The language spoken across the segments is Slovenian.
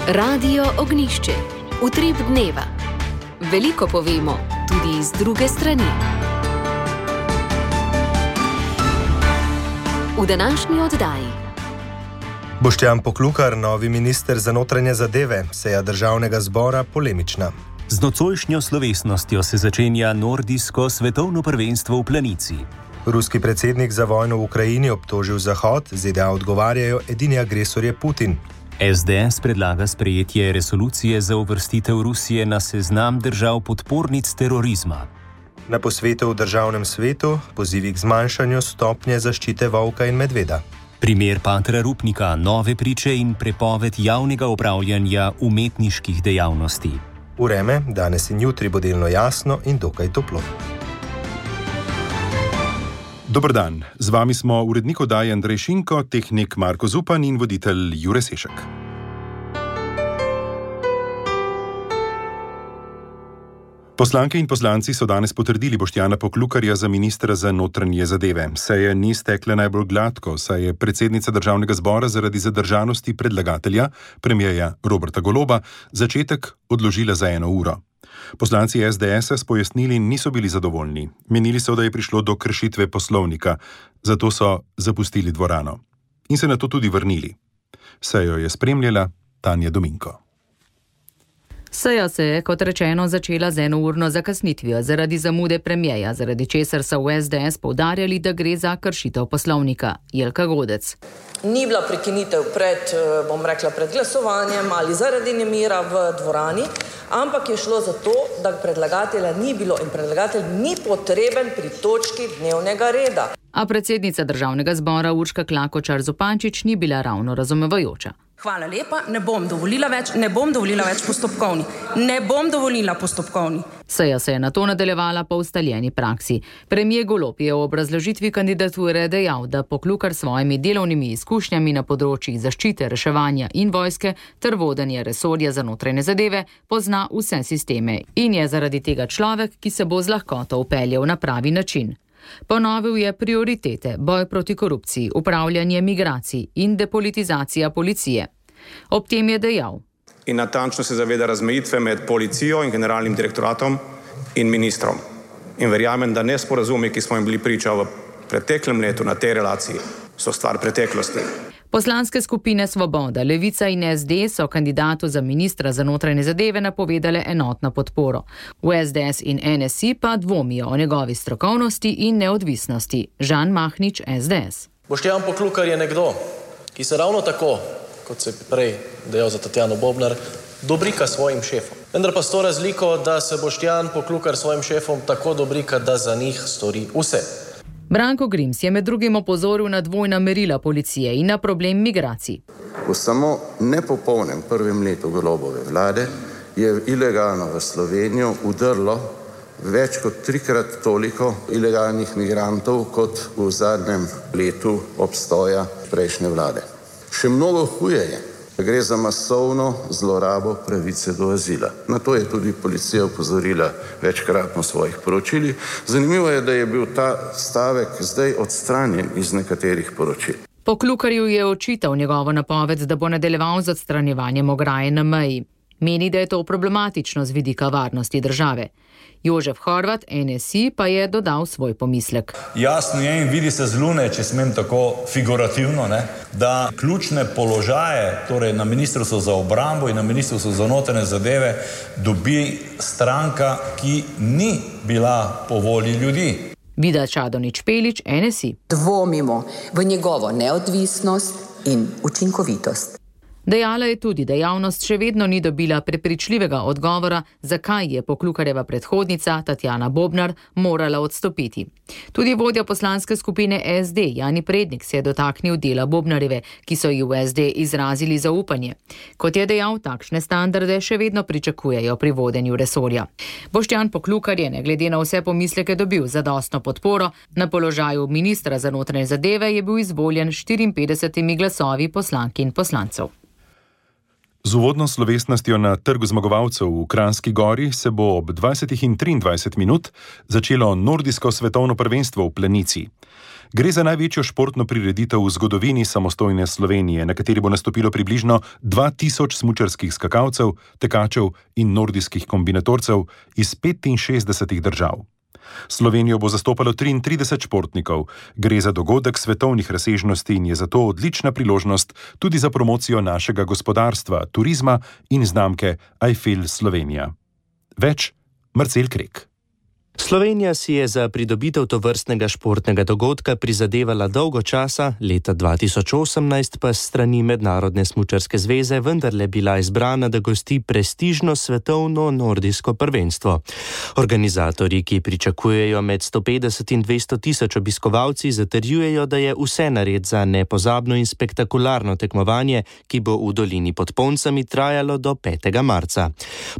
Radio Ognjišče. Utrip dneva. Veliko povemo, tudi iz druge strani. V današnji oddaji. Boštjan Poklukar, novi minister za notranje zadeve, seja državnega zbora polemična. Z nocojšnjo slovesnostjo se začenja nordijsko svetovno prvenstvo v planici. Ruski predsednik za vojno v Ukrajini obtožil Zahod, ZDA odgovarjajo, edini agresor je Putin. SDS predlaga sprejetje resolucije za uvrstitev Rusije na seznam držav podpornic terorizma. Na posvetu v državnem svetu pozivi k zmanjšanju stopnje zaščite volka in medveda. Primer patra Rupnika, nove priče in prepoved javnega opravljanja umetniških dejavnosti. Vreme, danes in jutri bo delno jasno in dokaj toplo. Dober dan, z vami smo urednik oddaje Andrej Šinko, tehnik Marko Zupan in voditelj Jure Sešek. Poslanke in poslanci so danes potrdili Boštjana Poklukarja za ministra za notranje zadeve. Seja ni stekla najbolj gladko, saj je predsednica državnega zbora zaradi zadržanosti predlagatelja, premierja Roberta Goloba, začetek odložila za 1 uro. Poslanci SDS-a s pojasnili niso bili zadovoljni. Menili so, da je prišlo do kršitve poslovnika, zato so zapustili dvorano. In se nato tudi vrnili. Sejo je spremljala Tanja Dominko. Seja se je, kot rečeno, začela z 1-urno zakasnitvijo zaradi zamude premierja, zaradi česar so v SDS poudarjali, da gre za kršitev poslovnika. Jelka Godec. Ni bila prekinitev pred glasovanjem ali zaradi nemira v dvorani, ampak je šlo za to, da predlagatelja ni bilo in predlagatelj ni potreben pri točki dnevnega reda. A predsednica državnega zbora Urška Klakočar Zupančič ni bila ravno razumevajoča. Hvala lepa, ne bom dovolila več postopkovni. Ne bom dovolila postopkovni. Seja se je nato nadaljevala po ustaljeni praksi. Premier Golob je v obrazložitvi kandidature dejal, da Poklukar s svojimi delovnimi izkušnjami na področjih zaščite, reševanja in vojske ter vodenja resorja za notranje zadeve pozna vse sisteme in je zaradi tega človek, ki se bo z lahkoto vpeljal na pravi način. Ponovil je prioritete, boj proti korupciji, upravljanje migracij in depolitizacija policije. Ob tem je dejal: In natančno se zaveda razmejitve med policijo in generalnim direktoratom in ministrom. In verjamem, da nesporazumi, ki smo jim bili priča v preteklem letu na tej relaciji, so stvar preteklosti. Poslanske skupine Svoboda, Levica in SD so kandidatu za ministra za notranje zadeve napovedale enotno podporo. V SDS in NSI pa dvomijo o njegovi strokovnosti in neodvisnosti. Žan Mahnič, SDS. Boštjan Poklukar je nekdo, ki se ravno tako, kot se prej dejal za Tatjano Bobnar, dobrika svojim šefom. Vendar pa s to razliko, da se Boštjan Poklukar svojim šefom tako dobrika, da za njih stori vse. Branko Grims je med drugim opozoril na dvojna merila policije in na problem migracij. V samo nepopolnem prvem letu Golobove vlade je ilegalno v Slovenijo udrlo več kot 3-krat toliko ilegalnih migrantov kot v zadnjem letu obstoja prejšnje vlade. Še mnogo huje je, da gre za masovno zlorabo pravice do azila. Na to je tudi policija opozorila večkratno v svojih poročilih. Zanimivo je, da je bil ta stavek zdaj odstranjen iz nekaterih poročil. Poklukarju je očital njegovo napoved, da bo nadaljeval z odstranjevanjem ograje na meji. Meni, da je to problematično z vidika varnosti države. Jožef Horvat, NSI, pa je dodal svoj pomislek. Jasno je in vidi se z Lune, če smem tako figurativno, da ključne položaje, torej na Ministrstvu za obrambo in na Ministrstvu za notranje zadeve, dobi stranka, ki ni bila po volji ljudi. Vida Čadonič Pelič, NSI. Dvomimo v njegovo neodvisnost in učinkovitost. Dejala je tudi, da javnost še vedno ni dobila prepričljivega odgovora, zakaj je Poklukarjeva predhodnica Tatjana Bobnar morala odstopiti. Tudi vodja poslanske skupine SD Jani Prednik se je dotaknil dela Bobnarjeve, ki so ji v SD izrazili zaupanje. Kot je dejal, takšne standarde še vedno pričakujejo pri vodenju resorja. Boštjan Poklukar je, ne glede na vse pomisleke, dobil zadostno podporo. Na položaju ministra za notranje zadeve je bil izvoljen 54 glasovi poslank in poslancev. Z uvodno slovesnostjo na Trgu zmagovalcev v Kranjski Gori se bo ob 20:23 začelo nordijsko svetovno prvenstvo v Planici. Gre za največjo športno prireditev v zgodovini samostojne Slovenije, na kateri bo nastopilo približno 2000 smučarskih skakalcev, tekačev in nordijskih kombinatorcev iz 65 držav. Slovenijo bo zastopalo 33 športnikov. Gre za dogodek svetovnih razsežnosti in je zato odlična priložnost tudi za promocijo našega gospodarstva, turizma in znamke I Feel Slovenija. Več Marcel Krek. Slovenija si je za pridobitev tovrstnega športnega dogodka prizadevala dolgo časa, leta 2018 pa s strani Mednarodne smučarske zveze vendarle bila izbrana, da gosti prestižno svetovno nordijsko prvenstvo. Organizatorji, ki pričakujejo med 150 in 200 tisoč obiskovalci, zatrjujejo, da je vse nared za nepozabno in spektakularno tekmovanje, ki bo v dolini pod Poncami trajalo do 5. marca.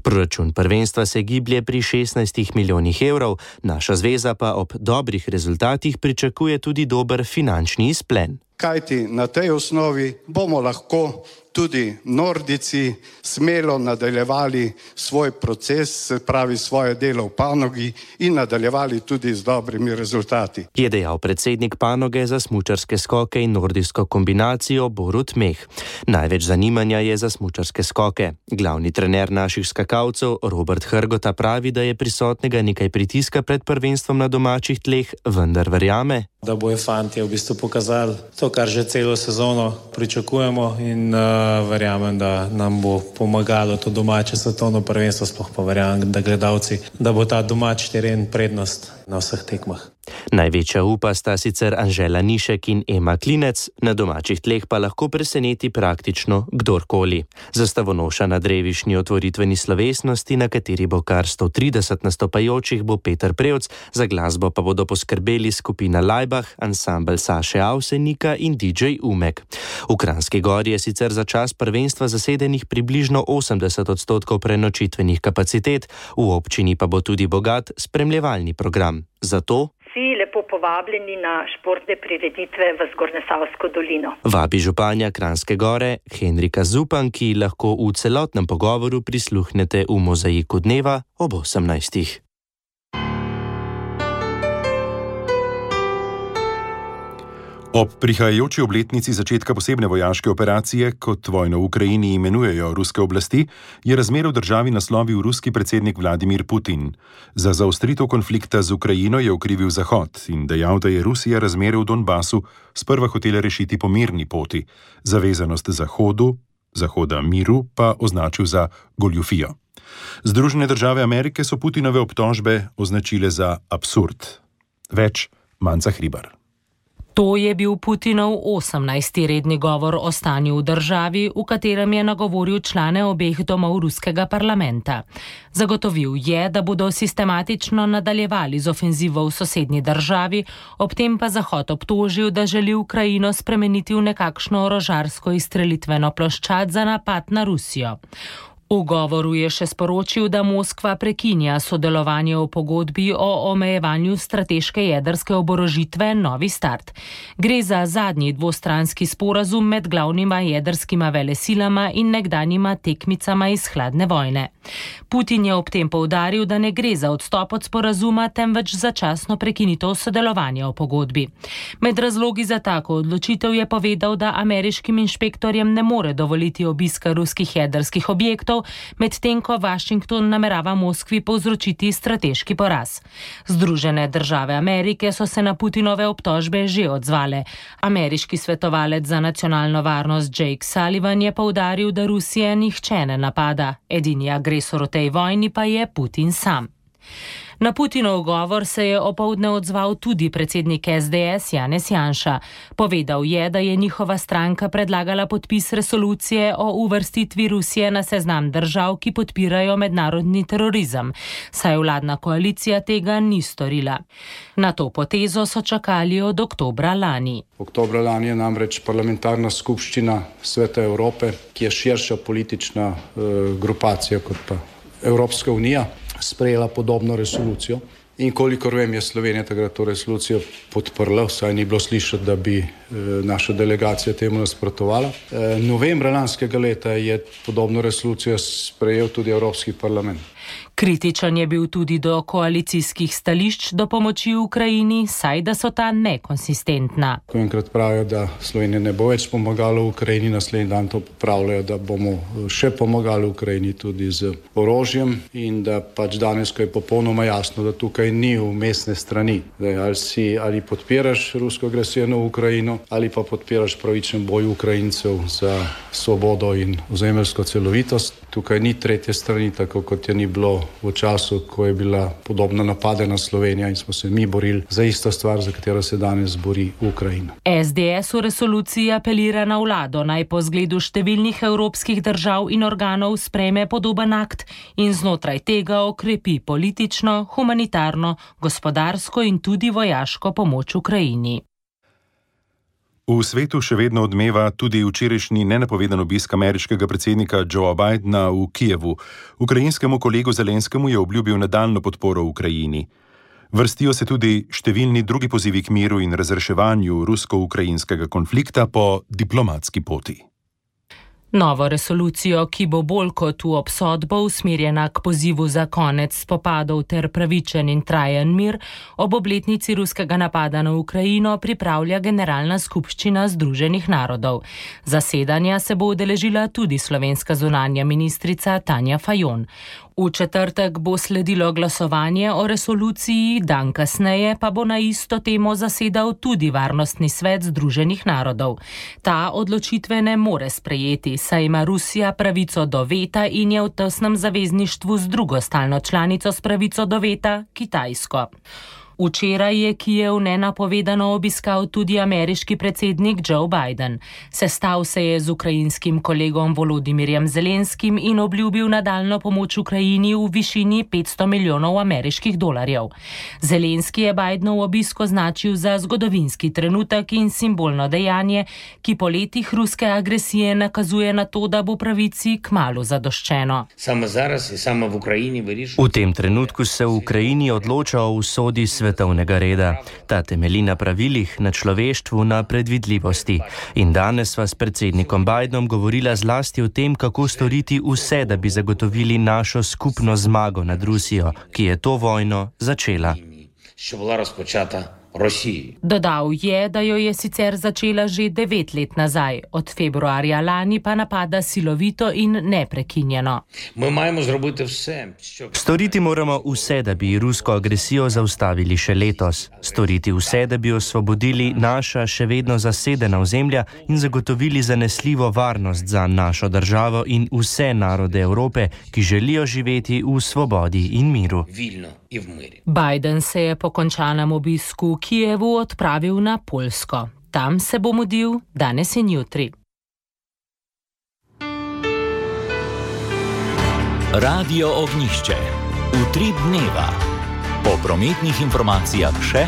Proračun prvenstva se giblje pri 16 milijonih evrov. Naša zveza pa ob dobrih rezultatih pričakuje tudi dober finančni izplen. Kajti na tej osnovi bomo lahko tudi Nordijci smelo nadaljevali svoj proces, se pravi svoje delo v panogi in nadaljevali tudi z dobrimi rezultati. Je dejal predsednik panoge za smučarske skoke in nordijsko kombinacijo Borut Meh. Največ zanimanja je za smučarske skoke. Glavni trener naših skakalcev Robert Hrgota pravi, da je prisotnega nekaj pritiska pred prvenstvom na domačih tleh, vendar verjame, da bojo fantje v bistvu pokazali to, kar že celo sezono pričakujemo in verjamem, da nam bo pomagalo to domače svetovno prvenstvo, sploh pa verjamem, da gledalci, da bo ta domač teren prednost na vseh tekmah. Največja upa sta sicer Anžela Nišek in Ema Klinec, na domačih tleh pa lahko preseneti praktično kdorkoli. Zastavonoša na drevišnji otvoritveni slovesnosti, na kateri bo kar 130 nastopajočih, bo Peter Prevc, za glasbo pa bodo poskrbeli skupina Laibach, ansambel Saše Avsenika in DJ Umek. V Kranjski Gori je sicer za čas prvenstva zasedenih približno 80% prenočitvenih kapacitet, v občini pa bo tudi bogat spremljevalni program. Zato vsi lepo povabljeni na športne prireditve v Zgornjesavsko dolino. Vabi županja Kranjske Gore Henrika Zupan, ki lahko v celotnem pogovoru prisluhnete v Mozaiku dneva ob 18. Ob prihajajoči obletnici začetka posebne vojaške operacije, kot vojno v Ukrajini imenujejo ruske oblasti, je razmere v državi naslovil ruski predsednik Vladimir Putin. Za zaostritev konflikta z Ukrajino je okrivil Zahod in dejal, da je Rusija razmere v Donbasu sprva hotela rešiti po mirni poti. Zavezanost Zahoda miru pa označil za goljufijo. Združene države Amerike so Putinove obtožbe označile za absurd. Več Manca Hribar. To je bil Putinov 18. redni govor o stanju v državi, v katerem je nagovoril člane obeh domov ruskega parlamenta. Zagotovil je, da bodo sistematično nadaljevali z ofenzivo v sosednji državi, ob tem pa Zahod obtožil, da želi Ukrajino spremeniti v nekakšno orožarsko izstrelitveno ploščad za napad na Rusijo. V govoru je še sporočil, da Moskva prekinja sodelovanje v pogodbi o omejevanju strateške jedrske oborožitve Novi start. Gre za zadnji dvostranski sporazum med glavnima jedrskima velesilama in nekdanjima tekmicama iz hladne vojne. Putin je ob tem poudaril, da ne gre za odstop od sporazuma, temveč začasno prekinitev sodelovanja v pogodbi. Med razlogi za tako odločitev je povedal, da ameriškim inšpektorjem ne more dovoliti obiska ruskih jedrskih objektov, medtem ko Washington namerava Moskvi povzročiti strateški poraz. Združene države Amerike so se na Putinove obtožbe že odzvale. Ameriški svetovalec za nacionalno varnost Jake Sullivan je poudaril, da Rusije nihče ne napada. Edini agresor v tej vojni pa je Putin sam. Na Putinov govor se je opoldne odzval tudi predsednik SDS Janez Janša. Povedal je, da je njihova stranka predlagala podpis resolucije o uvrstitvi Rusije na seznam držav, ki podpirajo mednarodni terorizem, saj vladna koalicija tega ni storila. Na to potezo so čakali od oktobra lani. Oktobra lani je namreč parlamentarna skupščina Sveta Evrope, ki je širša politična grupacija kot pa Evropska unija, sprejela podobno resolucijo In kolikor vem, je Slovenija takrat to resolucijo podprla, vsaj ni bilo slišati, da bi naša delegacija temu nasprotovala. Novembra lanskega leta je podobno resolucijo sprejel tudi Evropski parlament. Kritičen je bil tudi do koalicijskih stališč do pomoči Ukrajini, saj da so ta nekonsistentna. Ko enkrat pravijo, da Slovenija ne bo več pomagala Ukrajini, naslednji dan to popravljajo, da bomo še pomagali Ukrajini tudi z orožjem in da pač danes, ko je popolnoma jasno, da tukaj ni vmesne strani. Ali podpiraš rusko agresijo na Ukrajino ali pa podpiraš pravičen boj Ukrajincev za svobodo in ozemeljsko celovitost. Tukaj ni tretje strani, tako kot je ni bilo v času, ko je bila podobna napadena Slovenija in smo se mi borili za isto stvar, za katero se danes bori Ukrajina. SDS v resoluciji apelira na vlado, naj po zgledu številnih evropskih držav in organov sprejme podoben akt in znotraj tega okrepi politično, humanitarno, gospodarsko in tudi vojaško pomoč Ukrajini. V svetu še vedno odmeva tudi včerajšnji nenapovedan obisk ameriškega predsednika Joea Bidena v Kijevu. Ukrajinskemu kolegu Zelenskemu je obljubil nadaljnjo podporo Ukrajini. Vrstijo se tudi številni drugi pozivi k miru in razreševanju rusko-ukrajinskega konflikta po diplomatski poti. Novo resolucijo, ki bo bolj kot v obsodbo usmerjena k pozivu za konec spopadov ter pravičen in trajen mir, ob obletnici ruskega napada na Ukrajino pripravlja Generalna skupščina Združenih narodov. Zasedanja se bo udeležila tudi slovenska zunanja ministrica Tanja Fajon. V četrtek bo sledilo glasovanje o resoluciji, dan kasneje pa bo na isto temo zasedal tudi Varnostni svet Združenih narodov. Ta odločitve ne more sprejeti, saj ima Rusija pravico do veta in je v tesnem zavezništvu z drugo stalno članico s pravico do veta, Kitajsko. Včeraj je Kijev nenapovedano obiskal tudi ameriški predsednik Joe Biden. Sestal se je z ukrajinskim kolegom Volodimirjem Zelenskim in obljubil nadaljnjo pomoč Ukrajini v višini $500 milijonov ameriških dolarjev. Zelenski je Bidenov obisk označil za zgodovinski trenutek in simbolno dejanje, ki po letih ruske agresije nakazuje na to, da bo pravici kmalu zadoščeno. V tem trenutku se v Ukrajini odloča o usodi svetovnega reda. Ta temelji na pravilih, na človeštvu, na predvidljivosti. In danes sva s predsednikom Bidenom govorila zlasti o tem, kako storiti vse, da bi zagotovili našo skupno zmago nad Rusijo, ki je to vojno začela. Dodal je, da jo je sicer začela že 9 let nazaj, od februarja lani pa napada silovito in neprekinjeno. Storiti moramo vse, da bi rusko agresijo zaustavili še letos. Storiti vse, da bi osvobodili naša še vedno zasedena ozemlja in zagotovili zanesljivo varnost za našo državo in vse narode Evrope, ki želijo živeti v svobodi in miru. Biden se je po končanem obisku v Kijevu odpravil na Poljsko. Tam se bo mudil danes in jutri. Radio Ognjišče. Utrip dneva. Po prometnih informacijah še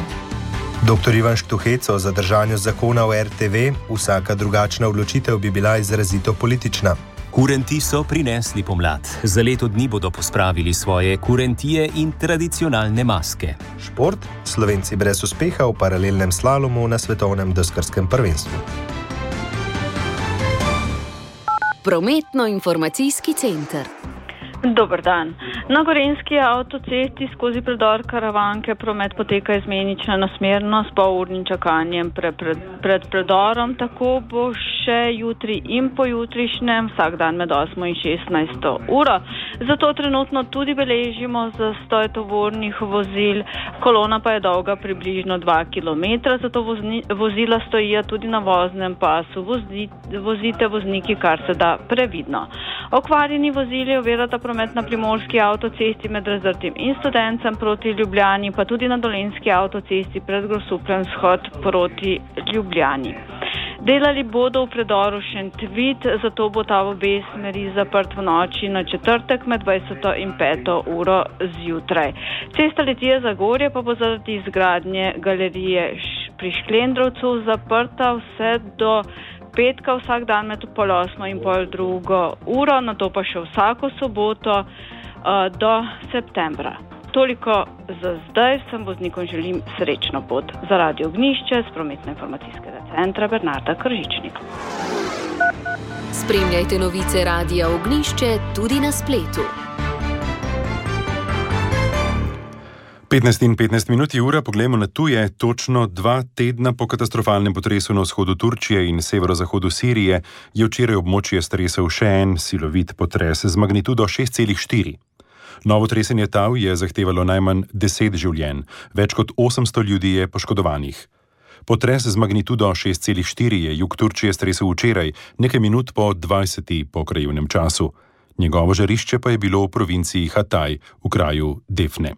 Dr. Ivan Štuhec o zadržanju zakona o RTV, vsaka drugačna odločitev bi bila izrazito politična. Kurenti so prinesli pomlad. Za leto dni bodo pospravili svoje kurentije in tradicionalne maske. Šport, Slovenci brez uspeha v paralelnem slalomu na svetovnem deskarskem prvenstvu. Prometno-informacijski center. Dober dan. Na Gorenjski avtocesti skozi predor Karavanke promet poteka izmenično nasmerno s polurnim čakanjem pred predorom. Tako bo še jutri in pojutrišnjem, vsak dan med 8 in 16 uro. Zato trenutno tudi beležimo zastoj tovornih vozil. Kolona pa je dolga približno 2 km, zato vozila stojijo tudi na voznem pasu. Vozite vozniki kar se da previdno. Okvarjeni vozili ovirata promet na Primorski avtocesti med Razdrtim in Studencem proti Ljubljani, pa tudi na Dolenjski avtocesti pred Grosupljem shod proti Ljubljani. Delali bodo v predoru Šentvid, zato bo ta v obe smeri zaprt v noči na četrtek med 20 in 5 uro zjutraj. Cesta Litija-Zagorje pa bo zaradi izgradnje galerije pri Šklendrovcu zaprta vse do petka vsak dan med 7:30 in 7:30 uro, nato pa še vsako soboto do septembra. Toliko za zdaj, vsem voznikom želim srečno pot. Za Radio Ognjišče z prometno-informacijskega centra Bernarda Kržičnik. Spremljajte novice Radia Ognjišče tudi na spletu. 15:15 ura, poglejmo na tuje. Točno 2 tedna po katastrofalnem potresu na vzhodu Turčije in severozahodu Sirije je včeraj območje stresel še en silovit potres z magnitudo 6,4. Novo tresenje tal je zahtevalo najmanj 10 življenj, več kot 800 ljudi je poškodovanih. Potres z magnitudo 6,4 je jug Turčije stresel včeraj, nekaj minut po 20. po krajevnem času. Njegovo žarišče pa je bilo v provinciji Hatay, v kraju Defne.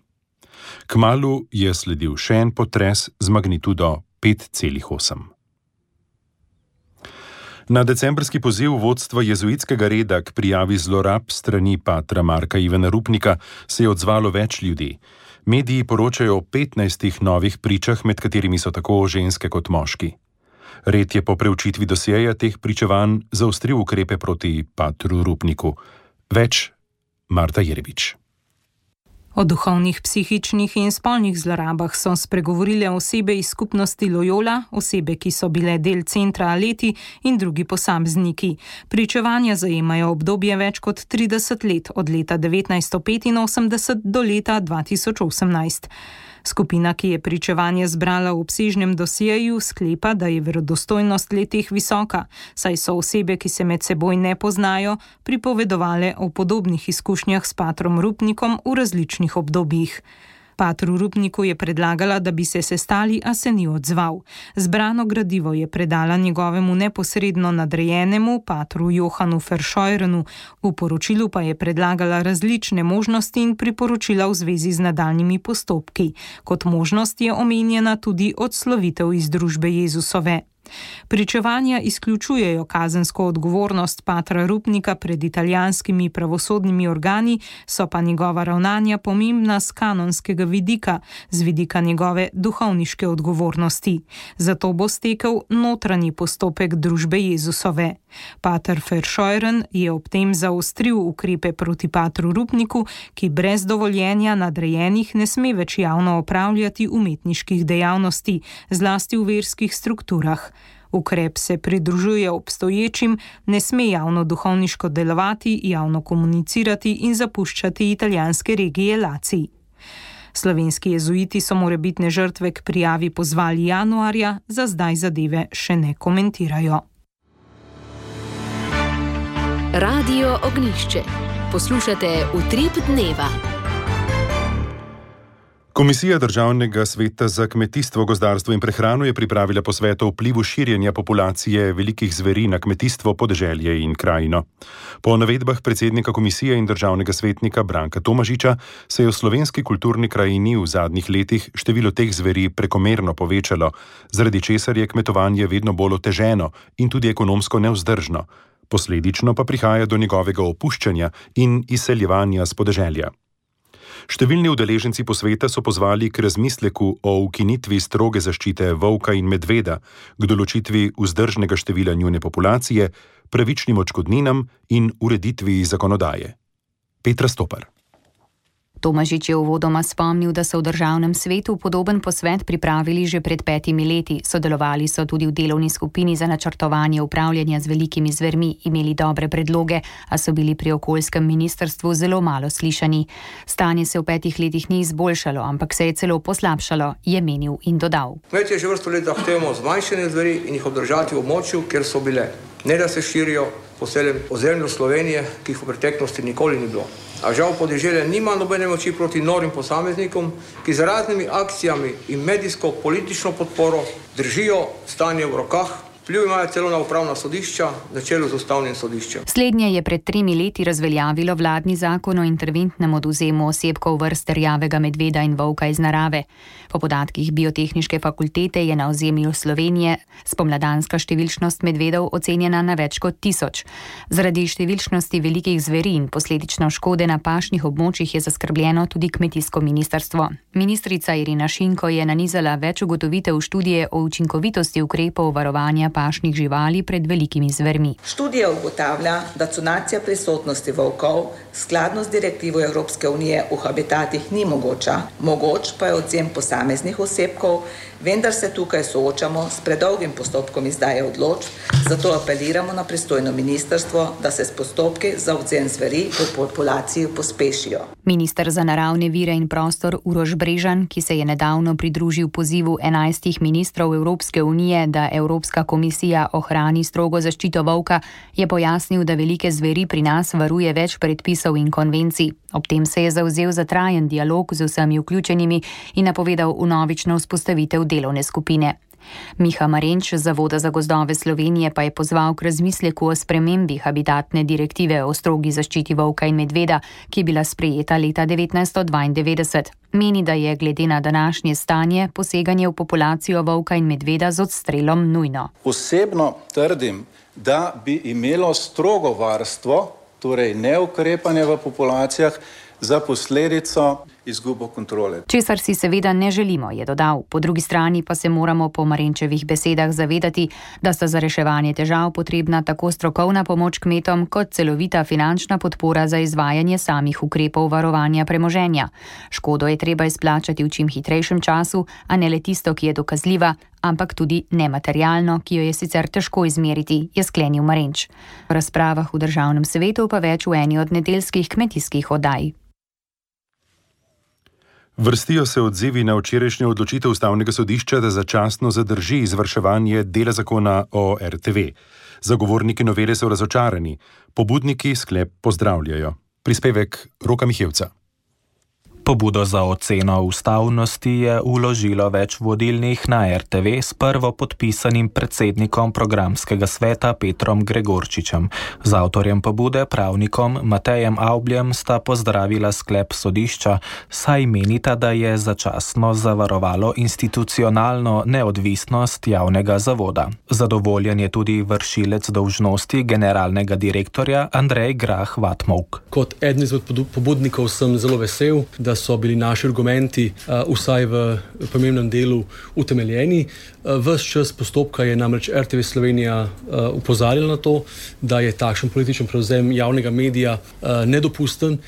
Kmalu je sledil še en potres z magnitudo 5,8. Na decembrski poziv vodstva jezuitskega reda k prijavi zlorab strani patra Marka Ivana Rupnika se je odzvalo več ljudi. Mediji poročajo o 15 novih pričah, med katerimi so tako ženske kot moški. Red je po preučitvi dosjeja teh pričevanj zaostril ukrepe proti patru Rupniku. Več Marta Jerebič. O duhovnih, psihičnih in spolnih zlorabah so spregovorile osebe iz skupnosti Loyola, osebe, ki so bile del centra Aleti in drugi posamezniki. Pričevanja zajemajo obdobje več kot 30 let, od leta 1985 do leta 2018. Skupina, ki je pričevanje zbrala v obsežnem dosjeju, sklepa, da je verodostojnost le-teh visoka, saj so osebe, ki se med seboj ne poznajo, pripovedovale o podobnih izkušnjah s patrom Rupnikom v različnih obdobjih. Patru Rupniku je predlagala, da bi se sestali, a se ni odzval. Zbrano gradivo je predala njegovemu neposredno nadrejenemu, patru Johanu Verscheuernu, v poročilu pa je predlagala različne možnosti in priporočila v zvezi z nadaljnjimi postopki. Kot možnost je omenjena tudi odslovitev iz družbe Jezusove. Pričevanja izključujejo kazensko odgovornost patra Rupnika pred italijanskimi pravosodnimi organi, so pa njegova ravnanja pomembna z kanonskega vidika, z vidika njegove duhovniške odgovornosti. Zato bo stekel notranji postopek družbe Jezusove. Pater Verscheuren je ob tem zaostril ukrepe proti patru Rupniku, ki brez dovoljenja nadrejenih ne sme več javno opravljati umetniških dejavnosti, zlasti v verskih strukturah. Ukrep se pridružuje obstoječim, ne sme javno duhovniško delovati, javno komunicirati in zapuščati italijanske regije Lacij. Slovenski jezuiti so morebitne žrtve k prijavi pozvali januarja, za zdaj zadeve še ne komentirajo. Radio Ognjišče. Poslušate Utrip dneva. Komisija Državnega sveta za kmetijstvo, gozdarstvo in prehrano je pripravila posvet o vplivu širjenja populacije velikih zveri na kmetijstvo, podeželje in krajino. Po navedbah predsednika komisije in državnega svetnika Branka Tomažiča se je v slovenski kulturni krajini v zadnjih letih število teh zveri prekomerno povečalo, zaradi česar je kmetovanje vedno bolj oteženo in tudi ekonomsko nevzdržno. Posledično pa prihaja do njegovega opuščanja in izseljevanja s podeželja. Številni udeleženci posveta so pozvali k razmisleku o ukinitvi stroge zaščite volka in medveda, k določitvi vzdržnega števila njune populacije, pravičnim odškodninam in ureditvi zakonodaje. Petra Stopar. Tomažič je uvodoma spomnil, da so v državnem svetu podoben posvet pripravili že pred 5 leti. Sodelovali so tudi v delovni skupini za načrtovanje upravljanja z velikimi zvermi, imeli dobre predloge, a so bili pri okoljskem ministrstvu zelo malo slišani. Stanje se v 5 letih ni izboljšalo, ampak se je celo poslabšalo, je menil in dodal. Kmetje že vrsto let zahtevamo zmanjšanje zveri in jih obdržati v območju, kjer so bile. Ne da se širijo po celem ozemlju Slovenije, ki jih v preteklosti nikoli ni bilo. A žal podeželje nima nobene moči proti norim posameznikom, ki z raznimi akcijami in medijsko-politično podporo držijo stanje v rokah. Vpliv imajo celo na upravna sodišča, na čelu z ustavnim sodiščem. Slednje je pred 3 leti razveljavilo vladni zakon o interventnem odvzemu osebkov vrst rjavega medveda in volka iz narave. Po podatkih Biotehniške fakultete je na ozemlju Slovenije spomladanska številčnost medvedov ocenjena na več kot 1000. Zaradi številčnosti velikih zveri in posledično škode na pašnih območjih je zaskrbljeno tudi kmetijsko ministrstvo. Ministrica Irena Šinko je nanizala več ugotovitev študije o učinkovitosti ukrepov varovanja pašnih živali pred velikimi zvermi. Študija ugotavlja, da conacija prisotnosti volkov skladno z direktivo Evropske unije v habitatih ni mogoča. Mogoč pa je odvzem posameznih osebkov, vendar se tukaj soočamo s predolgim postopkom izdaje odločb, zato apeliramo na pristojno ministrstvo, da se s postopki za odvzem zveri v populaciji pospešijo. Minister za naravne vire in prostor Uroš Brežan, ki se je nedavno pridružil pozivu 11 ministrov Evropske unije, da Evropska komisija ohrani strogo zaščito volka, je pojasnil, da velike zveri pri nas varuje več predpisov in konvencij. Ob tem se je zavzel za trajen dialog z vsemi vključenimi in napovedal vnovično vzpostavitev delovne skupine. Miha Marenč z Zavoda za gozdove Slovenije pa je pozval k razmisleku o spremembi habitatne direktive o strogi zaščiti volka in medveda, ki je bila sprejeta leta 1992. Meni, da je glede na današnje stanje poseganje v populacijo volka in medveda z odstrelom nujno. Osebno trdim, da bi imelo strogo varstvo, torej neukrepanje v populacijah, za posledico izgubo kontrole. Česar si seveda ne želimo, je dodal. Po drugi strani pa se moramo po Marenčevih besedah zavedati, da sta za reševanje težav potrebna tako strokovna pomoč kmetom kot celovita finančna podpora za izvajanje samih ukrepov varovanja premoženja. Škodo je treba izplačati v čim hitrejšem času, a ne le tisto, ki je dokazljiva, ampak tudi nematerialno, ki jo je sicer težko izmeriti, je sklenil Marenč. V razpravah v Državnem svetu pa več v eni od nedeljskih kmetijskih oddaj. Vrstijo se odzivi na včerajšnjo odločitev Ustavnega sodišča, da začasno zadrži izvrševanje dela zakona o RTV. Zagovorniki novele so razočarani, pobudniki sklep pozdravljajo. Prispevek Roka Mihevca. Pobudo za oceno ustavnosti je vložilo več vodilnih na RTV s prvopodpisanim predsednikom programskega sveta Petrom Gregorčičem. Z avtorjem pobude, pravnikom Matejem Avbljem, sta pozdravila sklep sodišča, saj menita, da je začasno zavarovalo institucionalno neodvisnost javnega zavoda. Zadovoljen je tudi vršilec dolžnosti generalnega direktorja Andrej Grah Vatmovk. Kot eden izmed pobudnikov sem zelo vesel, da so bili naši argumenti vsaj v pomembnem delu utemeljeni. Ves čas postopka je namreč RTV Slovenija opozarjala na to, da je takšen političen prevzem javnega medija nedopusten.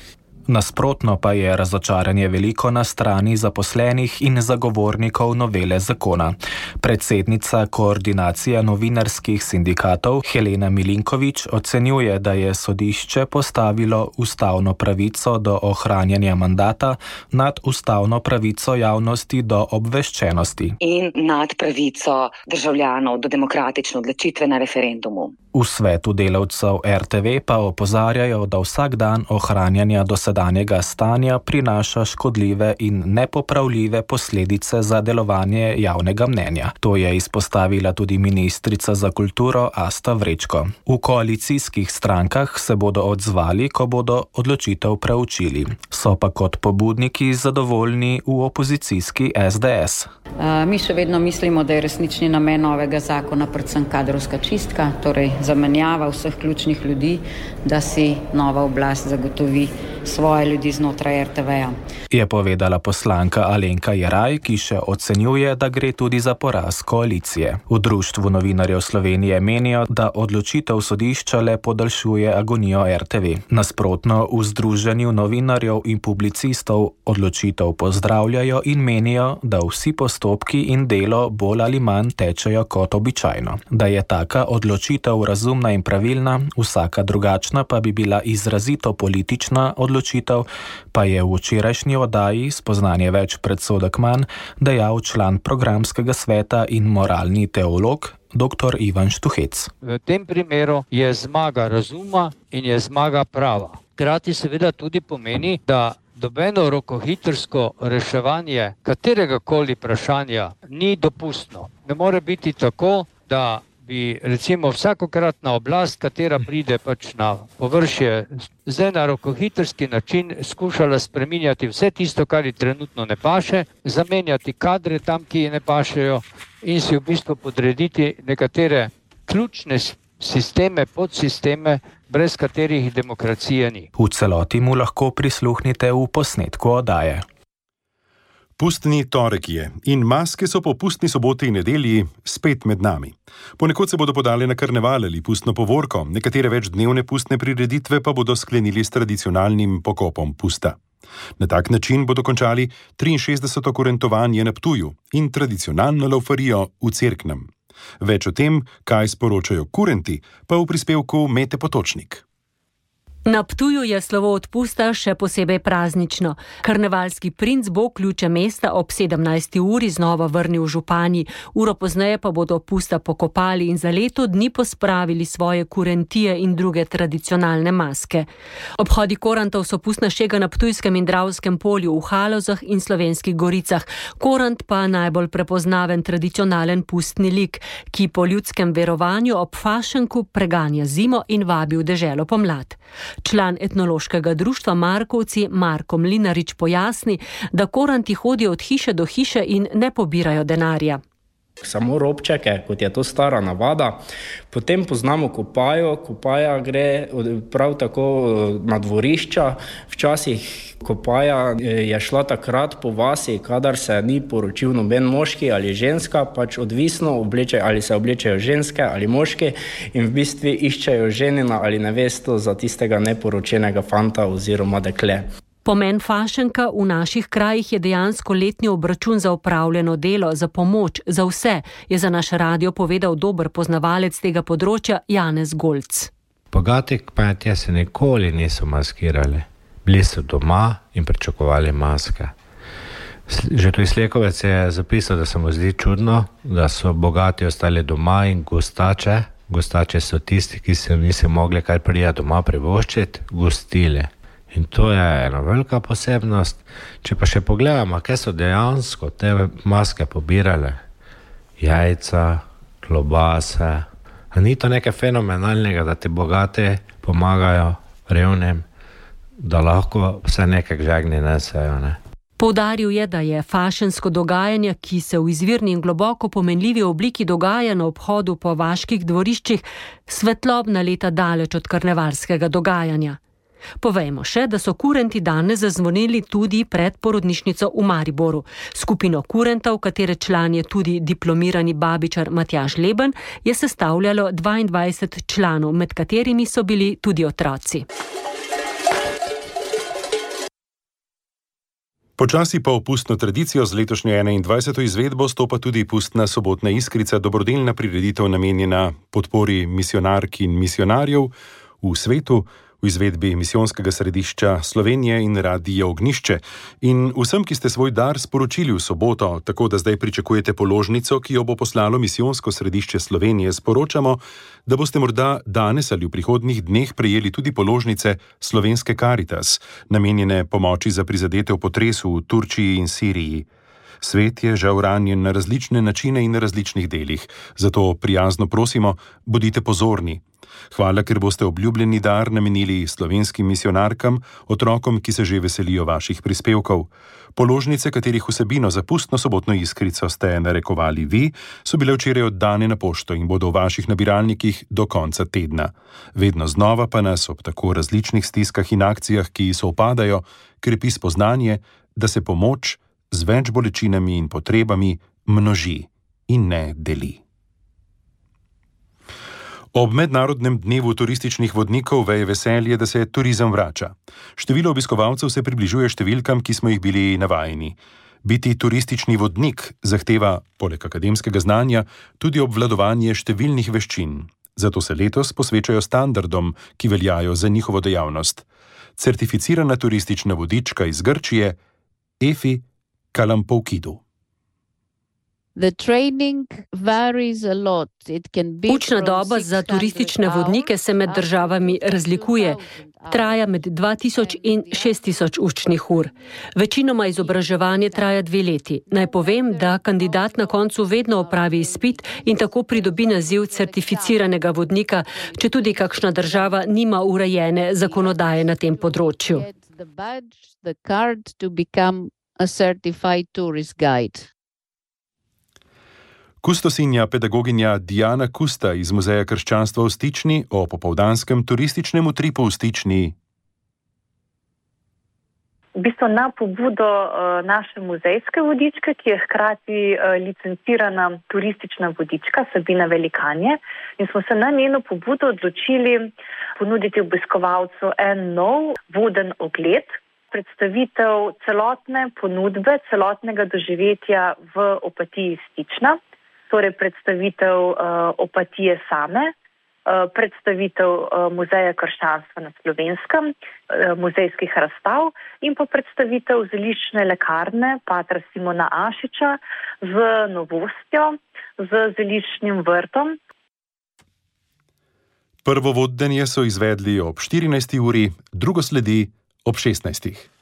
Nasprotno pa je razočaranje veliko na strani zaposlenih in zagovornikov novele zakona. Predsednica koordinacije novinarskih sindikatov Helena Milinković ocenjuje, da je sodišče postavilo ustavno pravico do ohranjanja mandata nad ustavno pravico javnosti do obveščenosti. In nad pravico državljanov do demokratične odločitve na referendumu. V svetu delavcev RTV pa opozarjajo, da vsak dan ohranjanja dosedanjega stanja prinaša škodljive in nepopravljive posledice za delovanje javnega mnenja. To je izpostavila tudi ministrica za kulturo Asta Vrečko. V koalicijskih strankah se bodo odzvali, ko bodo odločitev preučili. So pa kot pobudniki zadovoljni v opozicijski SDS. Mi še vedno mislimo, da je resnični namen novega zakona predvsem kadrovska čistka, torej zamenjava vseh ključnih ljudi, da si nova oblast zagotovi svoje ljudi znotraj RTV-ja. Je povedala poslanka Alenka Jeraj, ki še ocenjuje, da gre tudi za poraz koalicije. V Društvu novinarjev Slovenije menijo, da odločitev sodišča le podaljšuje agonijo RTV. Nasprotno, v Združenju novinarjev in publicistov odločitev pozdravljajo in menijo, da vsi postopki in delo bolj ali manj tečejo kot običajno. Da je taka odločitev razumna in pravilna, vsaka drugačna pa bi bila izrazito politična odločitev, pa je v včerajšnji oddaji Spoznanje več predsodek manj dejal član programskega sveta in moralni teolog dr. Ivan Štuhec. V tem primeru je zmaga razuma in je zmaga prava. Hkrati seveda tudi pomeni, da nobeno rokohitrsko reševanje kateregakoli vprašanja ni dopustno. Ne more biti tako, da bi recimo vsakokratna oblast, katera pride pač na površje, zdaj na rokohitrski način skušala spreminjati vse tisto, kar ji trenutno ne paše, zamenjati kadre tam, ki ji ne pašejo in si v bistvu podrediti nekatere ključne sisteme, podsisteme, brez katerih demokracije ni. V celoti mu lahko prisluhnite v posnetku oddaje. Pustni torek je in maske so po pustni soboti in nedelji spet med nami. Ponekod se bodo podali na karneval ali pustno povorko, nekatere večdnevne pustne prireditve pa bodo sklenili s tradicionalnim pokopom pusta. Na tak način bodo končali 63. kurentovanje na Ptuju in tradicionalno laufarijo v Cerknem. Več o tem, kaj sporočajo kurenti, pa v prispevku Mete Potočnik. Na Ptuju je slovo od pusta še posebej praznično. Karnevalski princ bo ključe mesta ob 17. uri znova vrnil v županji. Uro pozneje pa bodo pusta pokopali in za leto dni pospravili svoje kurentije in druge tradicionalne maske. Obhodi korantov so pustna šega na Ptujskem in Dravskem polju, v Halozah in Slovenskih goricah. Korant pa najbolj prepoznaven tradicionalen pustni lik, ki po ljudskem verovanju ob fašenku preganja zimo in vabi v deželo pomlad. Član etnološkega društva Markovci Marko Mlinarič pojasni, da koranti hodijo od hiše do hiše in ne pobirajo denarja. Samo robčeke, kot je to stara navada. Potem poznamo kopajo. Kopaja gre prav tako na dvorišča. Včasih kopaja je šla takrat po vasi, kadar se ni poročil noben moški ali ženska, pač odvisno ali se oblečejo ženske ali moški in v bistvu iščejo ženina ali nevesto za tistega neporočenega fanta oziroma dekle. Pomen fašenka v naših krajih je dejansko letni obračun za opravljeno delo, za pomoč, za vse, je za naš radio povedal dober poznavalec tega področja Janez Golc. Bogati kmetje se nikoli niso maskirali. Bili so doma in pričakovali maske. Že tu izlekovec je zapisal, da se mu zdi čudno, da so bogati ostali doma in gostače so tisti, ki se niso mogli kar prijeti doma privoščiti, gostili. In to je ena velika posebnost. Če pa še pogledamo, kaj so dejansko te maske pobirale, jajca, klobase, a ni to nekaj fenomenalnega, da ti bogati pomagajo revnim, da lahko vse nekaj žegni nesejo, ne? Poudaril je, da je fašensko dogajanje, ki se v izvirni in globoko pomenljivi obliki dogaja na obhodu po vaških dvoriščih, svetlobna leta daleč od karnevalskega dogajanja. Povejmo še, da so kurenti danes zazvonili tudi pred porodnišnico v Mariboru. Skupino kurentov, katere član je tudi diplomirani babičar Matjaž Leben, je sestavljalo 22 članov, med katerimi so bili tudi otroci. Počasi pa v pustno tradicijo z letošnjo 21. izvedbo stopa tudi pustna sobotna iskrica, dobrodelna prireditev namenjena podpori misionark in misionarjev v svetu, v izvedbi Misijonskega središča Slovenije in Radia Ognjišče. In vsem, ki ste svoj dar sporočili v soboto, tako da zdaj pričakujete položnico, ki jo bo poslalo Misijonsko središče Slovenije, sporočamo, da boste morda danes ali v prihodnjih dneh prejeli tudi položnice Slovenske Karitas, namenjene pomoči za prizadete v potresu v Turčiji in Siriji. Svet je žal ranjen na različne načine in na različnih delih, zato prijazno prosimo, bodite pozorni. Hvala, ker boste obljubljeni dar namenili slovenskim misionarkam, otrokom, ki se že veselijo vaših prispevkov. Položnice, katerih vsebino za pustno sobotno iskrico ste narekovali vi, so bile včeraj oddane na pošto in bodo v vaših nabiralnikih do konca tedna. Vedno znova pa nas ob tako različnih stiskah in akcijah, ki sovpadajo, krepi spoznanje, da se pomoč z več bolečinami in potrebami množi in ne deli. Ob mednarodnem dnevu turističnih vodnikov veje veselje, da se turizem vrača. Število obiskovalcev se približuje številkam, ki smo jih bili navajeni. Biti turistični vodnik zahteva, poleg akademskega znanja, tudi obvladovanje številnih veščin. Zato se letos posvečajo standardom, ki veljajo za njihovo dejavnost. Certificirana turistična vodička iz Grčije, Efi Kalampoukidou. Učna doba za turistične vodnike se med državami razlikuje. Traja med 2000 in 6000 učnih ur. Večinoma izobraževanje traja 2 leti. Naj povem, da kandidat na koncu vedno opravi izpit in tako pridobi naziv certificiranega vodnika, če tudi kakšna država nima urejene zakonodaje na tem področju. Kustosinja pedagoginja Diana Kusta iz Muzeja krščanstva v Stični o popoldanskem turističnem utripu v Stični. v bistvu na pobudo naše muzejske vodičke, ki je hkrati licencirana turistična vodička Sabina Velikanje, in smo se na njeno pobudo odločili ponuditi obiskovalcu en nov voden ogled, predstavitev celotne ponudbe, celotnega doživetja v Opatiji Stična, torej predstavitev Opatije same, predstavitev Muzeja krščanstva na Slovenskem, muzejskih razstav in pa predstavitev zeliščne lekarne patra Simona Ašiča z novostjo, z zeliščnim vrtom. Prvo vodenje so izvedli ob 14. uri, drugo sledi ob 16.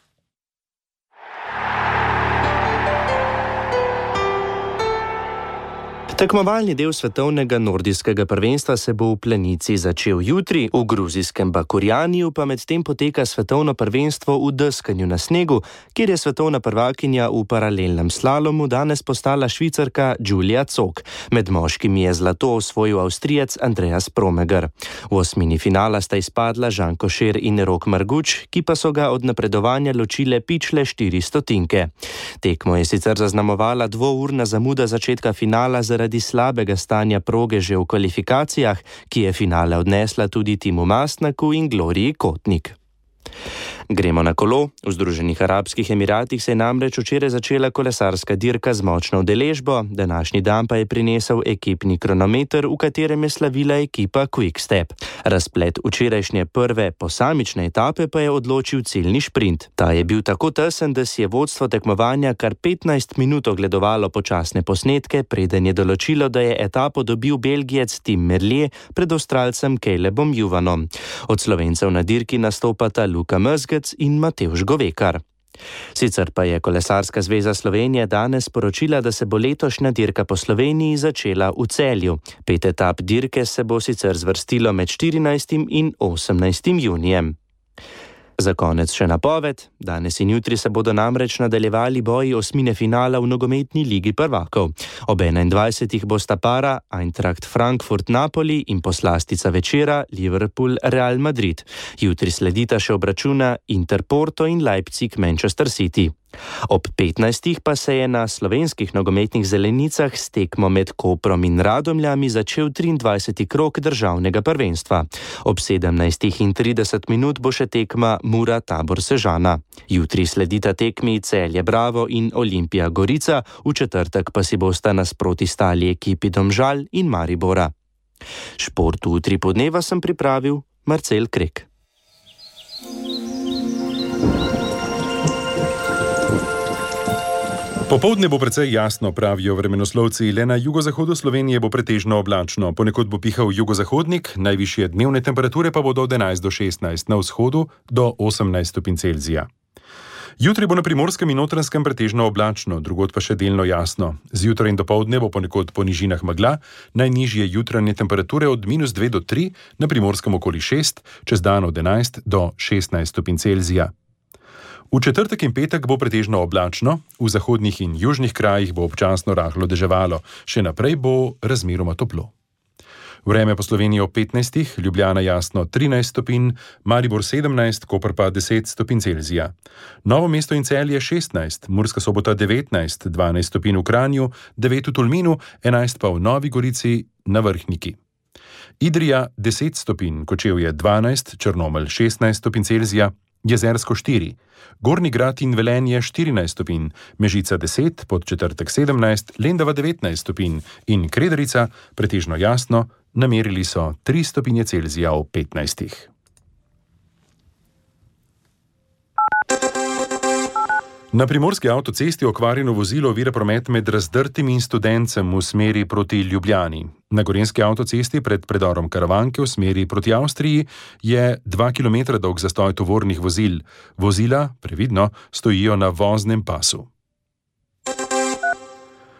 Tekmovalni del svetovnega nordijskega prvenstva se bo v Planici začel jutri, v gruzijskem Bakurjaniju pa medtem poteka svetovno prvenstvo v deskanju na snegu, kjer je svetovna prvakinja v paralelnem slalomu danes postala Švicarka Julia Zog. Med moškimi je zlato osvojil Avstrijec Andreas Promeger. V osmini finala sta izpadla Žan Košer in Rok Marguč, ki pa so ga od napredovanja ločile pičle 4 stotinke. Tekmo je sicer zaznamovala dvourna zamuda začetka finala zaradi slabega stanja proge že v kvalifikacijah, ki je finale odnesla tudi Timu Mastnaku in Gloriji Kotnik. Gremo na kolo. V Združenih arabskih Emiratih se je namreč včeraj začela kolesarska dirka z močno udeležbo, današnji dan pa je prinesel ekipni kronometer, v katerem je slavila ekipa Quick Step. Razplet včerajšnje prve posamične etape pa je odločil ciljni šprint. Ta je bil tako tesen, da si je vodstvo tekmovanja kar 15 minut ogledovalo počasne posnetke, preden je določilo, da je etapo dobil Belgijec Tim Merlier pred Avstralcem Calebom Juvanom. Od Slovencev na dirki nastopata Luka Mezgec in Matevž Govekar. Sicer pa je Kolesarska zveza Slovenije danes sporočila, da se bo letošnja dirka po Sloveniji začela v Celju. 5 etap dirke se bo sicer zvrstilo med 14. in 18. junijem. Za konec še napoved. Danes in jutri se bodo namreč nadaljevali boji osmine finala v nogometni ligi prvakov. Ob 21. bosta para Eintracht Frankfurt-Napoli in poslastica večera Liverpool-Real Madrid. Jutri sledita še obračuna Inter-Porto in Leipzig-Manchester City. Ob 15. pa se je na slovenskih nogometnih zelenicah s tekmo med Koprom in Radomljami začel 23. krog državnega prvenstva. Ob 17:30 bo še tekma Mura-Tabor-Sežana. Jutri sledita tekmi Celje Bravo in Olimpija Gorica, v četrtek pa si bosta nasproti stali ekipi Domžal in Maribora. Šport v Utripu dneva sem pripravil Marcel Krek. Popoldne bo precej jasno, pravijo vremenoslovci, le na jugozahodu Slovenije bo pretežno oblačno. Ponekod bo pihal jugozahodnik, najvišje dnevne temperature pa bodo od 11 do 16, na vzhodu do 18 stopinj Celzija. Jutri bo na Primorskem in Notranjskem pretežno oblačno, drugod pa še delno jasno. Zjutraj in dopoldne bo ponekod po nižinah megla, najnižje jutranje temperature od -2 do 3, na Primorskem okoli 6, čez dan od 11 do 16 stopinj Celzija. V četrtek in petek bo pretežno oblačno, v zahodnih in južnih krajih bo občasno rahlo deževalo, še naprej bo razmeroma toplo. Vreme po Sloveniji ob 15, Ljubljana jasno 13 stopinj, Maribor 17, Koper pa 10 stopinj Celzija. Novo mesto in Celje 16, Murska Sobota 19, 12 stopinj v Kranju, 9 v Tolminu, 11 pa v Novi Gorici na Vrhniki. Idrija 10 stopinj, Kočevje 12, Črnomelj 16 stopinj Celzija, Jezersko 4, Gornji Grad in Velenje 14 stopinj, Mežica 10, Podčetrtek 17, Lendava 19 stopinj in Krederica pretežno jasno, namerili so 3 stopinje Celzija v 15. Na primorski avtocesti okvarjeno vozilo ovira promet med Razdrtim in Studencem v smeri proti Ljubljani. Na gorenjski avtocesti pred predorom Karavanke v smeri proti Avstriji je 2 km dolg zastoj tovornih vozil. Vozila, previdno, stojijo na voznem pasu.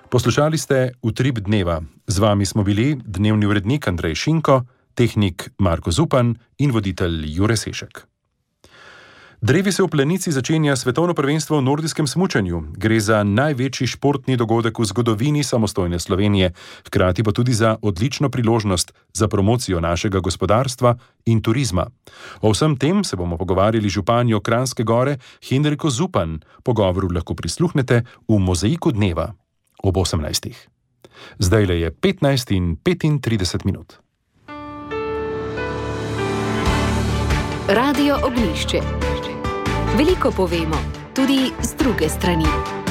Poslušali ste Utrip dneva. Z vami smo bili dnevni urednik Andrej Šinko, tehnik Marko Zupan in voditelj Jure Sešek. Drevi se v Planici začenja svetovno prvenstvo v nordijskem smučanju. Gre za največji športni dogodek v zgodovini samostojne Slovenije, hkrati pa tudi za odlično priložnost za promocijo našega gospodarstva in turizma. O vsem tem se bomo pogovarjali z županjo Kranjske Gore Henriko Zupan. Pogovoru lahko prisluhnete v Mozaiku dneva ob 18. Zdajle je 15:35 minut. Radio Ognjišče. Veliko povemo, tudi z druge strani.